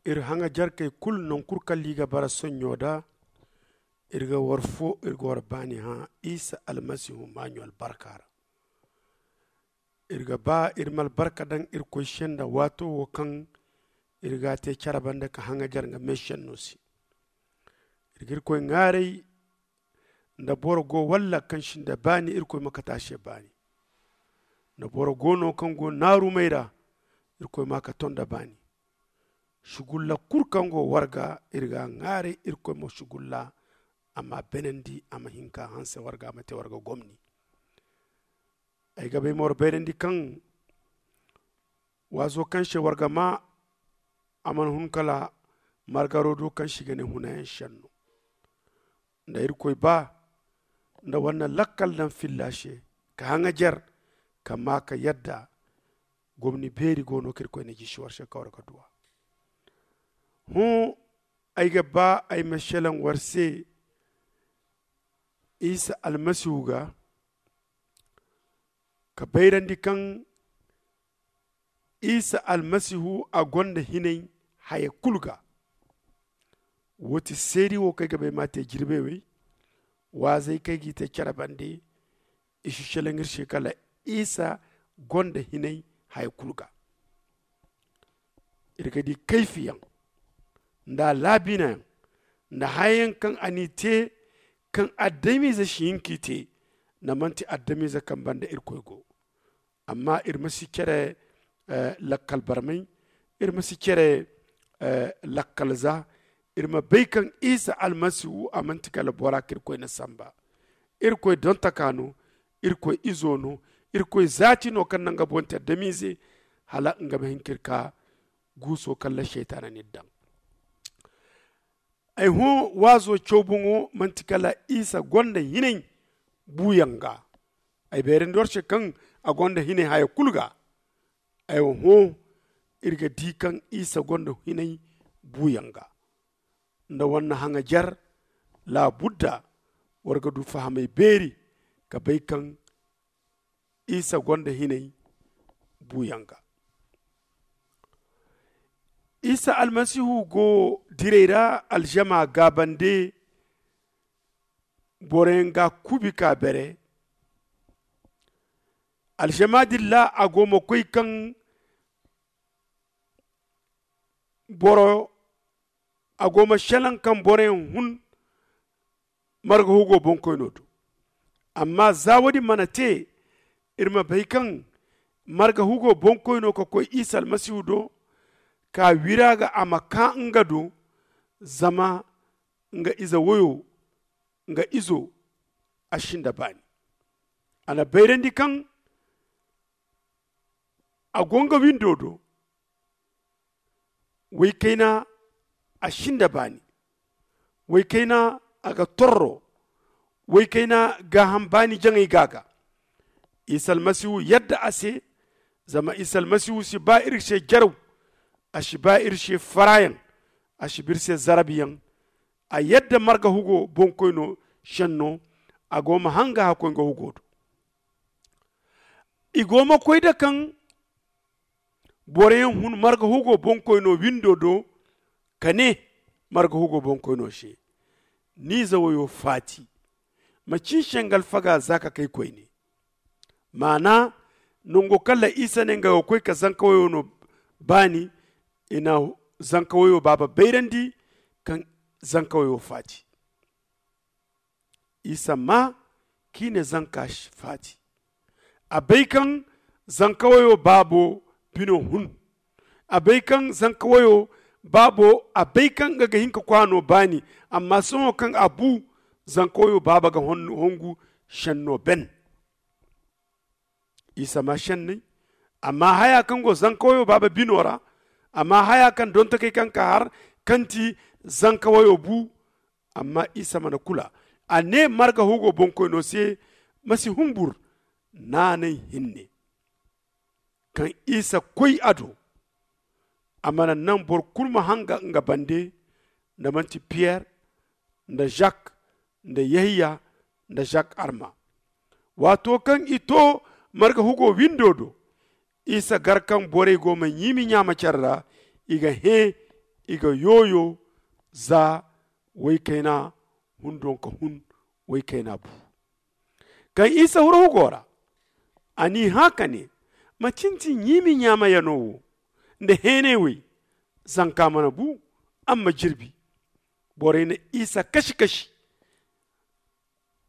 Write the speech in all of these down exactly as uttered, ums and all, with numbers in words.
Iri haŋajarkey kulu nankul kalla i ga bara soɲɲo da, iri ga war fo iri ga war baani hã isa almasihu maaɲo albarka ra. Iri ga ba iri ma albarka daŋ irkoy se nda waato wo kaŋ iri ga a te care banda ka haŋajar nga meesenno se. Iri ga irkoy ŋaaray nda boro go walla kaŋ si nda baani irkoy ma kate a se baani. Nda boro go no kaŋ go naarumey ra, irkoy ma a kate nda baani. Sugulla kulu kaŋ go war ga, iri ga a ŋaaray irkoy ma sugulla a ma a beenandi, a ma hin ka hanse war ga a ma te war ga gomni. Ay ga bay ma war bayrandi kaŋ waazo kaŋ se war ga maa a mana hun kala margaro do kaŋ se i ga ne hunayaŋ senno. Nda irkoy ba nda war na lakkal daŋ filla se ka haŋajer ka maa ka yadda gomni beeri go no kaŋ irkoy na jisi war se kaŋ war ga duw'a. Hõ, ay ga ba ay ma selaŋ war se isa almasihu ga ka bayrandi kaŋ isa almasihu a gonda hinay haya kulu ga. Wo ti seedi wo kaŋ ay ga bay ma a te jirbey wey. Waazey kaŋ ay g'i te care bande i si selaŋ iri se kala isa gonda hinay haya kulu ga. Iri ga di kayfiyaŋ nda a laabinayaŋ nda hayayaŋ kaŋ a n'i te kaŋ adamize si hin k'i te. Nda manti adamize kaŋ banda irkoy go. Amma iri ma si cere lakkal barmay, iri ma si cere lakkal za. Iri ma bay kaŋ isa almasihu a manti kala bora kaŋ irkoy na samba. Irkoy dontaka no, irkoy izo no, irkoy zaati no kaŋ na nga boŋ te adamize hala nga ma hin ka iri ka guuso kaŋ ra seytaana n'iri daŋ. Ay hõ, waazo caw boŋo manti kala isa gonda hinay buuyaŋ ga. Ay bayrandi war se kaŋ a gonda hinay haya kulu ga. Ay hõ, iri ga di kaŋ isa gonda hinay buuyaŋ ga. Nda war na haŋajer laabudda war ga du fahamay beeri ka bay kaŋ isa gonda hinay buuyaŋ ga. Isa almasihu go diray ra alžama gaabande boroyaŋ ga kuubi ka bere. Alžama din ra a go ma koy kaŋ boro a go ma selaŋ kaŋ boroyaŋ hun marga hugo boŋkoyno do. Amma za wo-din mana te, iri ma bay kaŋ marga hugo boŋkoyno ka koy isa almasihu do ka wira ga a ma ka nga do. Zama nga ize woyo nga izo a sinda baani. A na bayrandi kaŋ a go nga windo do. Waykayna a sinda baani. Waykayna a ga torro. Waykayna gaaham baani jaŋay ga a ga. Isa almasihu yadda a se. Zama isa almasihu si ba iri se jaraw. A si ba iri se faraayaŋ. A si ba iri se zarabiyaŋ. A yadda marga hugo boŋkoyno senno. A go ma hanga hakkoy nga hugo do. I go ma koy da kaŋ boroyaŋ hun marga hugo boŋkoyno windo do ka ne marga hugo boŋkoyno se, ni ize woyo faati. Ma cin se nga alfaga za ka kay koyne. Maana, nango kaŋ ra isa ne nga ga koy ka zanka woyo no baani. I na zanka woyo baaba bayrandi kaŋ zanka woyo faati. Isa maa kaŋ i na zanka faati. A bay kaŋ zanka wayo baabo bino hun. A bay kaŋ zanka wayo baabo a bay kaŋ nga ga hin ka kwaano baani. Amma sohõ kaŋ a bu, zanka wayo baaba ga hongu senno ben. Isa maa senney. Amma haya kaŋ go zanka wayo baaba bino ra, amma haya kaŋ donto kay kaŋ ka har kaŋ ti zanka wayo bu. Amma isa mana kula. A ne marga hugo boŋkoyno se, ma si humbur. Naanay hinne kaŋ isa koy a do, a mana naŋ boro kulu ma hanga nga bande, nda manti piyer, nda zak, nda yahiya, nda zak arma. Waato kaŋ i to marga hugo windo do, isa gar kaŋ borey go ma ɲiimi ɲaama care ra, i ga hẽ i ga yooyo za woy kayna hundo nka hun woy kayna bu. Kaŋ isa huru hugo ra, a n'i hã ka ne, ma cintin ɲiimi ɲaamayaŋo wo nda heeney wey? Zanka mana bu, a ma jirbi. Borey na isa kasi kasi.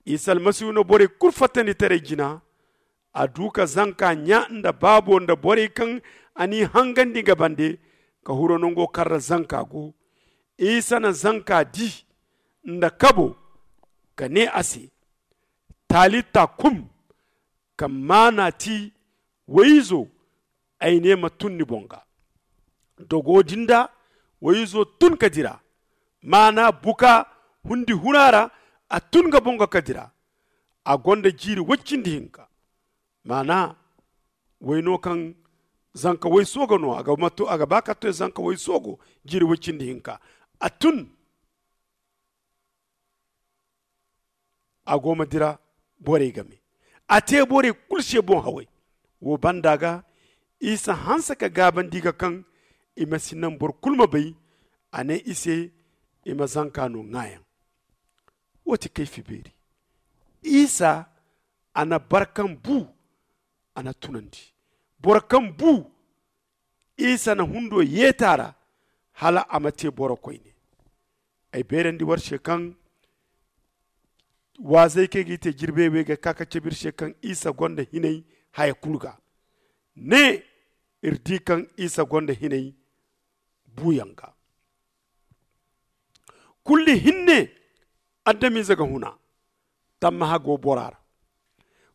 Isa almasihu na borey kulu fattandi taray jina. A du ka zanka ɲa nda baabo nda borey kaŋ a n'i hangandi nga bande, ka huru nango kaŋ ra zanka go. Isa na zanka di nda kabo, ka ne a se, talita kum, kaŋ maana ti, woy izo, ay ne ma tun ni boŋ ga. Dogo din da woy izo tun ka dira. Maana buka hundi huna ra, a tun ga boŋ ga ka dira. A gonda jiiri woy cindi hinka. Maana woy no kaŋ zanka woy soogo no a ga ba ka to zanka woy soogo. Jiiri woy cindi hinka a tun. A go ma dira borey game. A te borey kulu se boŋ haway. Wo banda ga isa hanse ka gaabandi ga kaŋ i ma si naŋ boro kulu ma bay. A ne i se i ma zanka no ŋaayaŋ. Wo ti kayfi beeri. Isa a na barkan bu. A na tunandi boro kaŋ bu. Isa na hundo yeeti a ra hala a ma te boro koyne. Ay beerandi war se kaŋ waazey kaŋ i ga i te jirbey wey ga ka ka cabe iri se kaŋ isa gonda hinay haya kulu ga. Ne iri di kaŋ isa gonda hinay buuyaŋ ga. Kulli hinne adamize ga huna tammaha go bora ra.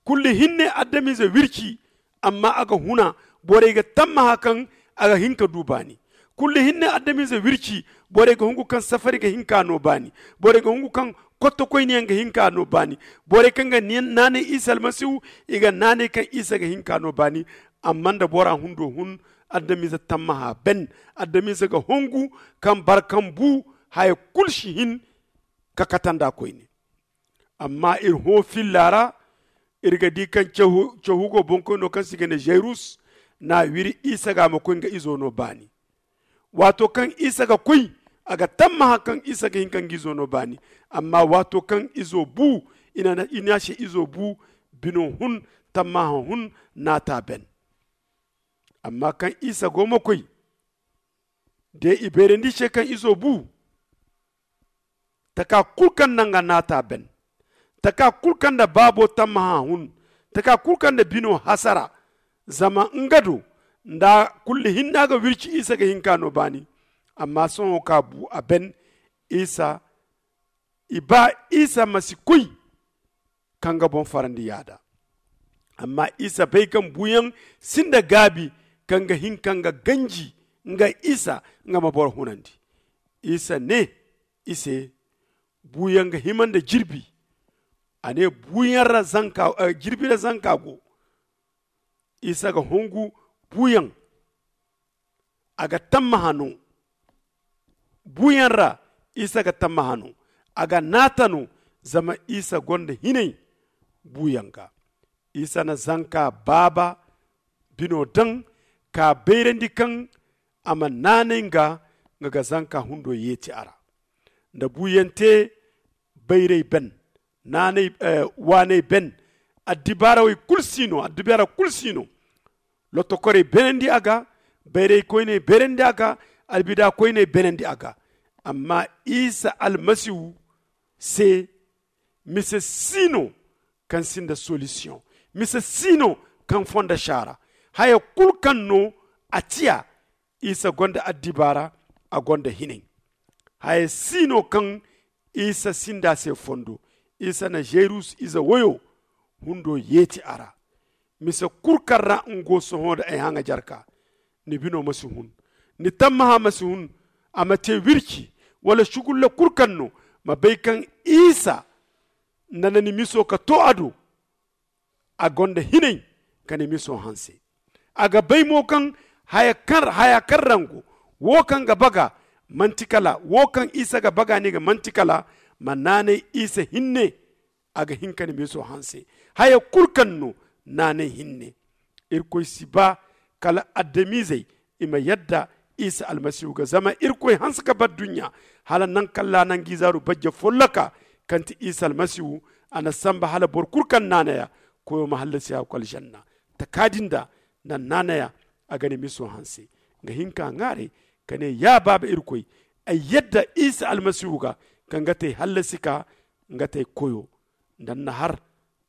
Kulli hinne adamize wirci amma a ga huna. Borey ga tammaha kaŋ a ga hin ka du baani. Kulli hinne adamize wirci borey ga hungu kaŋ safari ga hin ka no baani. Borey ga hungu kaŋ kottokoyniyaŋ ga hin ka no baani. Borey kaŋ ga naanay isa almasihu i ga naanay kaŋ isa ga hin ka no baani. Amma nda bora hundo hun adamize tammaha ben. Adamize ga hungu kaŋ barkan bu haya kulu si hin ka kata nda koyne. Amma iri hõ filla ra iri ga di kaŋ cahu go boŋkoyno kaŋ se i ga ne zayrus na a wiri isa ga a ma koy nga izo no baani. Waato kaŋ isa ga koy a ga tammaha kaŋ isa ga hin ka nga izo no baani. Amma waato kaŋ izo bu i ne a se izo bu bino hun tammaha hun naata ben. Amma kaŋ isa go ma koy de i bayrandi se kaŋ izo bu taka kulu kaŋ naŋ ga naata ben. Taka kulu kaŋ nda baabo tammaha hun taka kulu kaŋ nda bino hasara. Zama nga do nda kulli hinne a ga wirci isa ga hin ka no baani. Amma sohõ ka bu a ben isa i ba isa ma si koy ka nga boŋ farandi yaada. Amma isa bay kaŋ buuyaŋ sinda gaabi kaŋ ga hin ka nga ganji nga isa nga ma boro hunandi. Isa ne i se buuyaŋ ga hima nda jirbi. A ne buuyaŋ ra zanka jirbi ra zanka go. Isa ga hungu buuyaŋ a ga tammaha no. Buuyaŋ ra isa ga tammaha no. A ga naata no zama isa gonda hinay buuyaŋ ga. Isa na zanka baaba bino daŋ ka bayrandi kaŋ a ma naanay nga nga ga zanka hundo yeeti a ra. Nda buuyaŋ te bayray ben waanay ben. Addibaarawey kulu si no addibaara kulu si no. Lottokorey beenandi a ga. Bayraykoyney beenandi a ga. Albida koyney beenandi a ga. Amma isa almasihu se mise si no kaŋ sinda solisiyoŋ. Mise si no kaŋ fondo saara haya kulu kaŋ no a tiya. Isa gonda addibaara a gonda hinay. Haya si no kaŋ isa sinda se fondo. Isa na zayrus ize woyo hundo yeeti a ra. Mise kulu kaŋ ra nga go sohõ nda ay haŋajarka ni bino ma si hun. Ni tammaha ma si hun. A ma te wirci wala sugulla kulu kaŋ no ma bay kaŋ isa nda na ni miso ka to a do. A gonda hinay ka ni miso hanse. A ga bay mo kaŋ haya kaŋ ra nga go wo kaŋ ga baga manti kala wo kaŋ isa ga baga ni ga manti kala ma naanay isa hinne. A ga hin ka ni miso hanse haya kulu kaŋ no naanay hinne. Irkoy si ba kala adamizey i ma yadda Isa almasihu ga zama irkoy hanse ga bar duɲɲa hala naŋ kaŋ laana nga izaaru bajje folloka, kaŋ ti isa almasihu. A na sanba hala boro kulu kaŋ naanay a, koyo ma hallasi a ga koy alžanna. Taka din da naŋ naanay a, a ga ni miso hanse. Nga hin ka ŋwaaray ka ne, ya baaba irkoy, ay yadda isa almasihu ga, kaŋ ga te ay hallasi ka nga te ay koyo. Nda ni na har,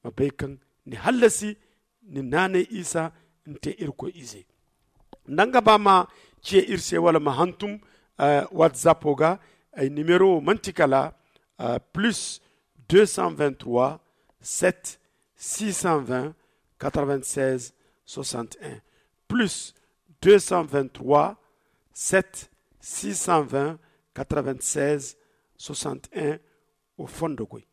ma bay kaŋ ni hallasi ni naanay isa ni te irkoy ize. Nda nga ba ma ciya iri se wala ma hantum, watsapo ga, ay nimero wo manti kala plus deux cent vingt trois, sept six cent vingt, quatre vingt seize, soixante un, plus deux cent vingt trois, sept six cent vingt, quatre vingt seize, soixante un. Wo fondo goy.